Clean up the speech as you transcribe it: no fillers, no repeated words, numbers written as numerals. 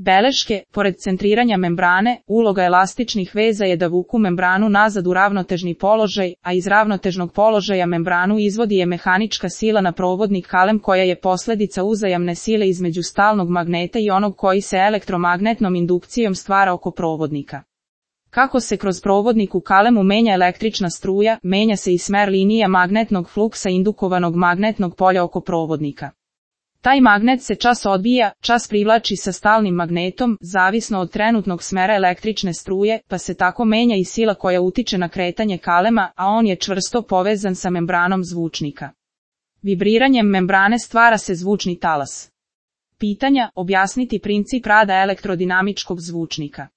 Beleške, pored centriranja membrane, uloga elastičnih veza je da vuku membranu nazad u ravnotežni položaj, a iz ravnotežnog položaja membranu izvodi je mehanička sila na provodnik kalem koja je posljedica uzajamne sile između stalnog magneta i onog koji se elektromagnetnom indukcijom stvara oko provodnika. Kako se kroz provodnik u kalemu menja električna struja, menja se i smer linija magnetnog fluksa indukovanog magnetnog polja oko provodnika. Taj magnet se čas odbija, čas privlači sa stalnim magnetom, zavisno od trenutnog smera električne struje, pa se tako menja i sila koja utiče na kretanje kalema, a on je čvrsto povezan sa membranom zvučnika. Vibriranjem membrane stvara se zvučni talas. Pitanja, objasniti princip rada elektrodinamičkog zvučnika.